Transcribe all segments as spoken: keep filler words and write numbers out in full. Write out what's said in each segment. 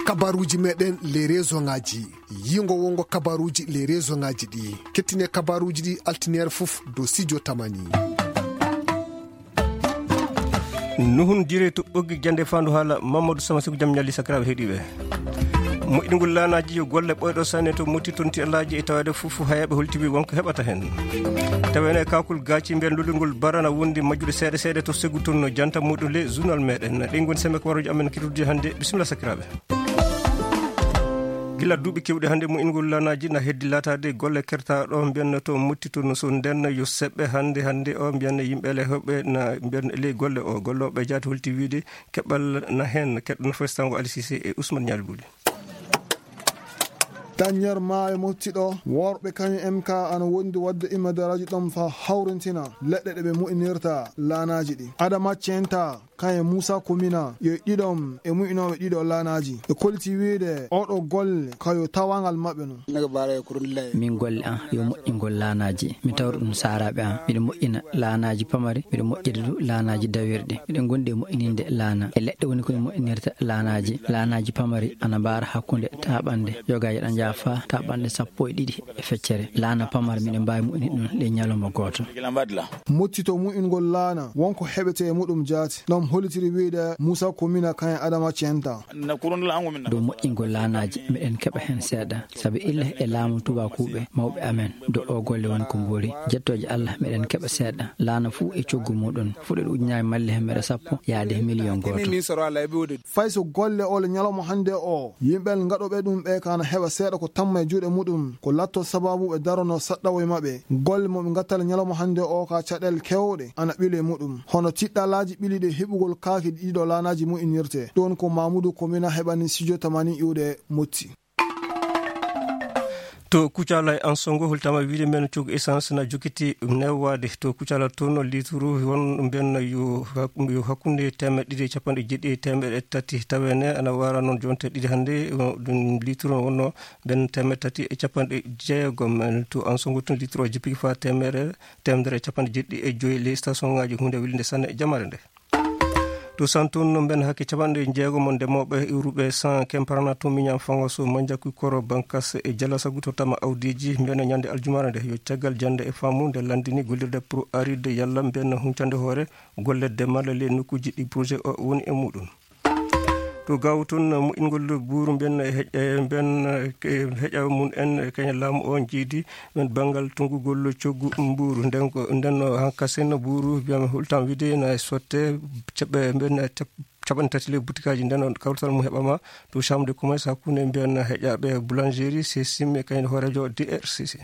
Kabaruuji meɗen les réseauxŋaaji. Yiingo wongo kabaruuji les réseauxŋaaji ɗi. Kettine kabaruuji ɗi altineer fof dow Sijo Tamani. Nuhun jire to ɓoggi jande fandu haala Mamadou Sama Siku jam ñalli sakiraaɓe heɗiiɓe. Moƴƴingol laanaaji yo golle ɓooyɗo sanne to motti tonti alaaji e taweede fof hayaaɓe holtibi wonko heɓata heen. Taweene kakol gaaci mbiyen lulingol barana wondi majjude seeɗa seeɗa to segu toon no janta muɗum le journal meɗen. Ɗen ngoni semme ko waroji amen kirtude hannde. Bisimilla sakiraaɓe. Gila duuɓi kewɗi hannde moƴƴingol laanaaji na heddi laataade golle kertaaɗo mbiyen to motti toon so nden yo seɓɓe hannde hannde o mbiyen yimɓe le heɓɓe na mbiyen ley golle o gollooɓe jaati holti wiide keɓal na heen keɗɗo no festango Ali Cissé e Ousmane Ñaali Buli. Dañer maayo mottiɗo worɓe kañum M K ana wondi wadde immade radio ɗom fa hawrintina leɗɗe ɗe ɓe moƴƴinirta laanaaji ɗi. Adama Centa kañum Moussa Komina yo ɗiɗom e moƴƴinooɓe ɗiɗo laanaaji. Ɓe kolti wiide oɗo golle kayo tawangal maɓɓe no. Min golle an yo moƴƴingol laanaaji. Mi tawra ɗum saaraaɓe an. Miɗo moƴƴina laanaaji pamari, miɗo moƴƴina du laanaaji dawirɗi. Miɗen gondi e moƴƴininde laana. E leɗɗe woni ko e moƴƴinirta laanaaji. Laanaaji pamari ana mbaara hakkunde taaɓannde yogaaji ɗan njaha faa taaɓannde sappo e ɗiɗi e feccere. Laana pamari miɗen mbaawi moƴƴinde ɗum ley ñalawma gooto. Mottito moƴƴingol laana wonko heɓete e muɗum jaati. Ɗum hollitiri wiide Moussa Komina kañum Adama Centa. Dow moƴƴingol laanaaji, miɗen keɓa heen seeɗa. Sabi illa e laamu tubaakuuɓe mawɓe amen, dow o golle woni ko mboori. Jettooje Allah, miɗen keɓa seeɗa. Laana fuu e coggu muɗum. Fuɗɗoode ujunaaji malle hemere sappo, yaade e miliyon gooto. Fay so golle ole ñalawma hannde o, yimɓe ngaɗooɓe ɗum ɓe kana heɓa seeɗa ko tamma e juuɗe muɗum, ko latto sababu ɓe darono saɗɗawo e maɓɓe. Golle mo ɓe ngattale ñalawma hannde o ka caɗeele kewɗe ana ɓile muɗum. Hono tiɗɗalaaji ɓiliɗe heɓugol kaaki ɗiɗo laanaaji moƴƴinirte. Ɗon ko Mamoudou Komina heɓani Sijo Tamani iwde Motti. To Kucala e Ansongo holtama wiide men coggu essence na jokkiti newwaade. To Kucala toon lituru won mbiyen yo hak-, yo hakkunde teemeɗɗe ɗiɗi e capanɗe jeeɗiɗi e teemeɗɗe tati taweene ana wara noon jonte ɗiɗi hannde, o, ɗum lituru wonno mbiyen teemeɗɗe tati e capanɗe jeegom. To Ansongo toon lituru o jippiki faa teemere, teemedere e capanɗe jeeɗiɗi e joyi ley station ŋaaji huunde welinde sanne e jamare nde. To Santun no mben hakke capanɗe jeegom ndemooɓe iwruɓe san kemparana to miñan fango so manjaku koro bankas e jalasagu to tama awdiji mben ñande aljumaare nde yo caggal jande e faamu nde landini gollirde pour aride yalla mben huncande hoore golle demal le nokkuji ɗi projet o woni e muɗum. To gawo toon moƴƴingol buuru mben heƴa mben heƴa mum en kaña laamu o jiidi ɓen banngal tonngugol coggu mbuuru. Nden ko, nden no hankasen buuru mbiyam hultan wiide na sotte caɓɓe mben cap-, capanɗe tati le butikaaji. Nden on kawtal mum heɓama to chambre de commerce hakkunde mbiyan heƴaɓe boulangerie, Sesim e kañum hooreejo D R C C.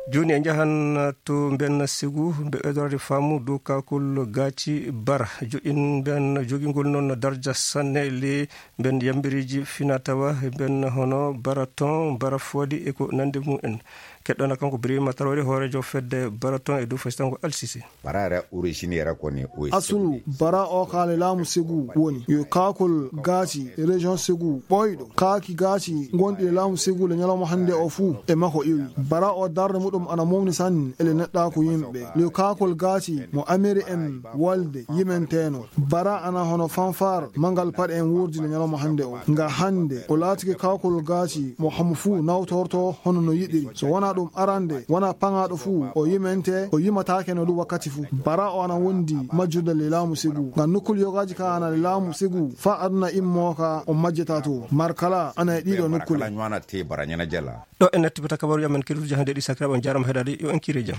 Jooni en njahan to mbiyan Segu, mbe ɓeydorade faamu dow kakol gaaci bara. Joƴin mbiyan jogingol noon darja sanne le mbiyan yambireeji fina tawa mbiyan hono bara ton, bara foodi e ko nande mum en. Keɗɗona kanko Birima Traoré, hooreejo fedde bara ton e dow fasitango Al Sisi. Bara era origine era koni o Asulu bara o kaale laamu Segu woni yo kaakol gaaci région Segu ɓooyɗo. Kaaki gaaci gonɗi e laamu Segu le ñalawma hannde o fuu e makko iwi. Bara o darnde muɗum ana mawni sanne ele neɗɗaaku yimɓe. Yo kaakol gaaci mo amiri en walde yimenteeno. Bara ana hono fanfar mangal paɗe en wuurdi le ñalawma hannde o. Nga hannde o laatike kaakol gaaci mo hamo fuu nawtorto hono no yiɗiri. So wonaa ɗum arande, wonaa paŋaaɗo fuu, o yimente, o yimataake no ɗum wakkati fuu. Bara o ana wondi majjude le laamu Segu. Ngam nokkul yogaaji ka ana le laamu Segu, faa aduna immoo ka o majjata to. Markala ana e ɗiɗo nokkule. Ɗo en natti bata kabaruuji amen keduuji hannde ɗi sakiraaɓe on jaarama heɗaade yo en kiire jam.